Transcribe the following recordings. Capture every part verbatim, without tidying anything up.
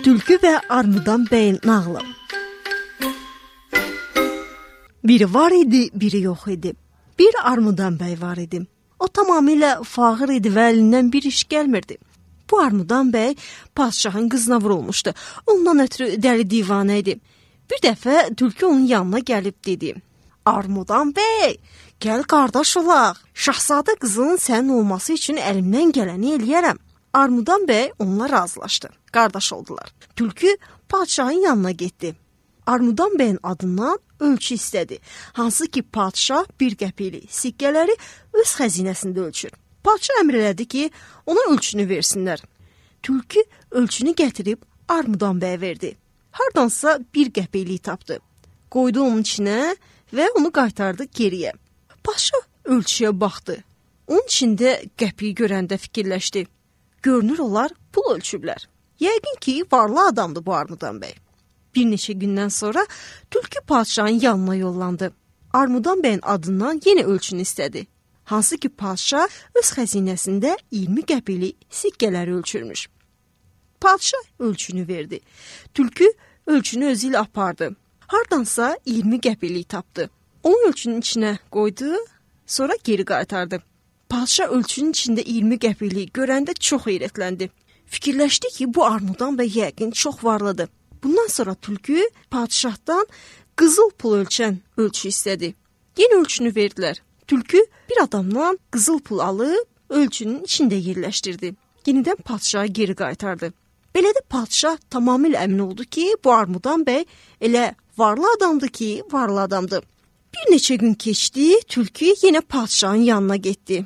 Tülkü və Armudan bəyin nağılı. Biri var idi, biri yox idi. Bir Armudan bəy var idi. O tamamilə fağır idi və əlindən bir iş gəlmirdi. Bu Armudan bəy padşahın qızına vurulmuşdu. Ondan ötürü dəli divanə idi. Bir dəfə Tülkü onun yanına gəlib dedi: Armudan bəy, gəl qardaş olaq. Şahzadə qızının sənin olması üçün əlimdən gələni eləyərəm. Armudan bəy onunla razılaşdı. Qardaş oldular. Tülkü padşahın yanına getdi. Armudan bəyin adından ölçü istədi. Hansı ki padşah bir qəpiklik sikkələri öz xəzinəsində ölçür. Padşah əmr elədi ki, ona ölçünü versinlər. Tülkü ölçünü gətirib Armudan bəyə verdi. Hardansa bir qəpiklik tapdı. Qoydu onun içinə və onu qaytardı geriyə. Padşah ölçüyə baxdı. Onun içində qəpiyi görəndə fikirləşdi. Görünür olar pul ölçüblər. Yəqin ki, varlı adamdır bu Armudan bəy. Bir neçə gündən sonra Tülkü padşahın yanına yollandı. Armudan bəyin adından yenə ölçünü istədi. Hansı ki padşah öz xəzinəsində iyirmi qəpiklik sikkələri ölçürmüş. Padşah ölçünü verdi. Tülkü ölçünü özü ilə apardı. Hardansa iyirmi qəpiklik tapdı. Onu ölçünün içinə qoydu, sonra geri qaytardı. Padşah ölçünün içində iyirmi qəpiklik görəndə çox heyrətləndi. Fikirləşdi ki, bu Armudan bəy yəqin çox varlıdır. Bundan sonra Tülkü padşahdan qızıl pul ölçən ölçü istədi. Yenə ölçünü verdilər. Tülkü bir adamdan qızıl pul alıb ölçünün içində yerləşdirdi. Yenidən padşaha geri qaytardı. Belə də padşah tamamilə əmin oldu ki, bu Armudan bəy elə varlı adamdır ki, varlı adamdır. Bir neçə gün keçdi, Tülkü yenə padşahın yanına getdi.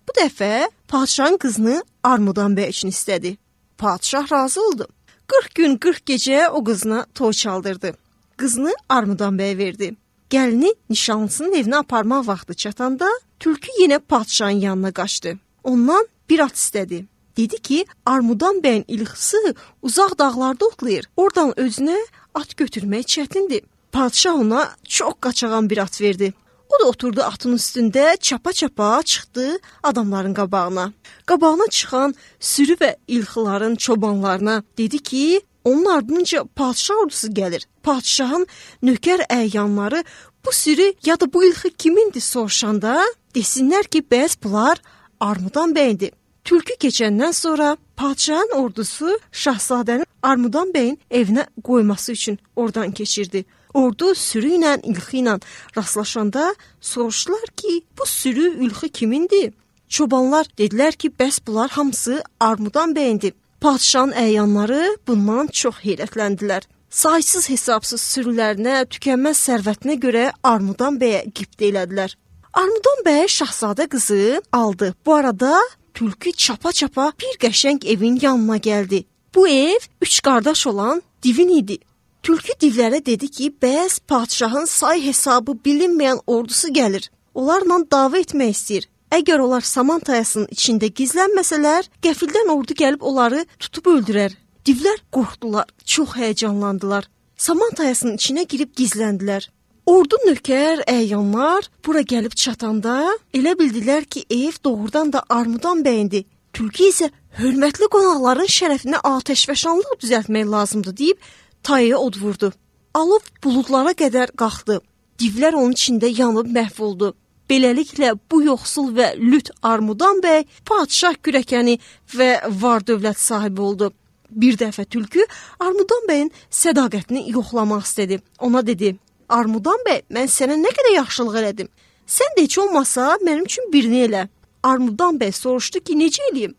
Bu dəfə padşahın qızını Armudan bəy üçün istədi. Padşah razı oldu. qırx gün, qırx gecə o qızına toy çaldırdı. Qızını Armudan bəyə verdi. Gəlini nişanlısının evinə aparmaq vaxtı çatanda Tülkü yenə padşahın yanına qaçdı. Ondan bir at istədi. Dedi ki, Armudan bəyin ilxısı uzaq dağlarda otlayır. Oradan özünə at götürmək çətindir. Padşah ona çox qaçağan bir at verdi. O da oturdu atın üstündə, çapa-çapa çıxdı adamların qabağına. Qabağına çıxan sürü və ilxıların çobanlarına dedi ki, onun ardınca padşah ordusu gəlir. Padşahın nökər əyyanları bu sürü ya da bu ilxı kimindir soruşanda desinlər ki, bəs bunlar Armudan bəyindir. Tülkü keçəndən sonra padşahın ordusu şahzadəni Armudan bəyin evinə qoyması üçün oradan keçirdi. Ordu sürü ilə, ilxi ilə rastlaşanda soruşdular ki, bu sürü, ilxi kimindir? Çobanlar dedilər ki, bəs bunlar hamısı Armudan bəyindir. Padşahın əyyanları bundan çox heyrətləndilər. Saysız hesabsız sürülərinə, tükənməz sərvətinə görə Armudan bəyə qibtə elədilər. Armudan bəy şahzadə qızı aldı. Bu arada Tülkü çapa-çapa bir qəşəng evin yanına gəldi. Bu ev üç qardaş olan divin idi. Tülkü divlərə dedi ki, bəs padşahın say hesabı bilinməyən ordusu gəlir. Onlarla dava etmək istəyir. Əgər onlar saman tayasının içində gizlənməsələr, qəfildən ordu gəlib onları tutub öldürər. Divlər qorxdular, çox həyəcanlandılar. Saman tayasının içinə girib gizləndilər. Ordu nökər, əyyanlar bura gəlib çatanda elə bildilər ki, ev doğrudan da Armudan bəyindir. Tülkü isə hörmətli qonaqların şərəfinə atəşfəşanlıq düzəltmək lazımdır deyib tayaya od vurdu. Alov buludlara qədər qalxdı. Divlər onun içində yanıb məhv oldu. Beləliklə bu yoxsul və lüt Armudan bəy padşah kürəkəni və var dövlət sahibi oldu. Bir dəfə Tülkü Armudan bəyin sədaqətini yoxlamaq istədi. Ona dedi: Armudan bəy, mən sənə nə qədər yaxşılıq elədim. Sən də heç olmasa mənim üçün birini elə. Armudan bəy soruşdu ki, necə eləyim?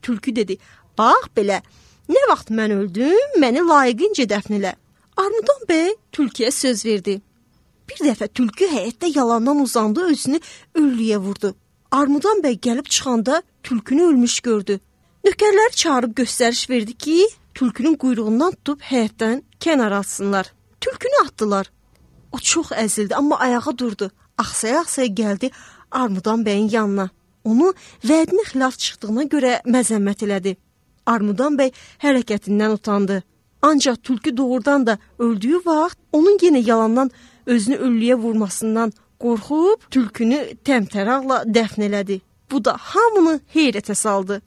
Tülkü dedi: bax belə, nə vaxt mən öldüm, məni layiqincə dəfn elə. Armudan bəy Tülküyə söz verdi. Bir dəfə Tülkü həyətdə yalandan uzandı, özünü öllüyə vurdu. Armudan bəy gəlib çıxanda Tülkünü ölmüş gördü. Nökərləri çağırıb göstəriş verdi ki, Tülkünün quyruğundan tutub həyətdən kənara atsınlar. Tülkünü atdılar. O çox əzildi, amma ayağa durdu. Axsaya-axsaya gəldi Armudan bəyin yanına. Onu vədinə xilaf çıxdığına görə məzəmmət elədi. Armudan bəy hərəkətindən utandı. Ancaq Tülkü doğrudan da öldüyü vaxt onun yenə yalandan özünü öllüyə vurmasından qorxub Tülkünü təmtəraqla dəfn elədi. Bu da hamını heyrətə saldı.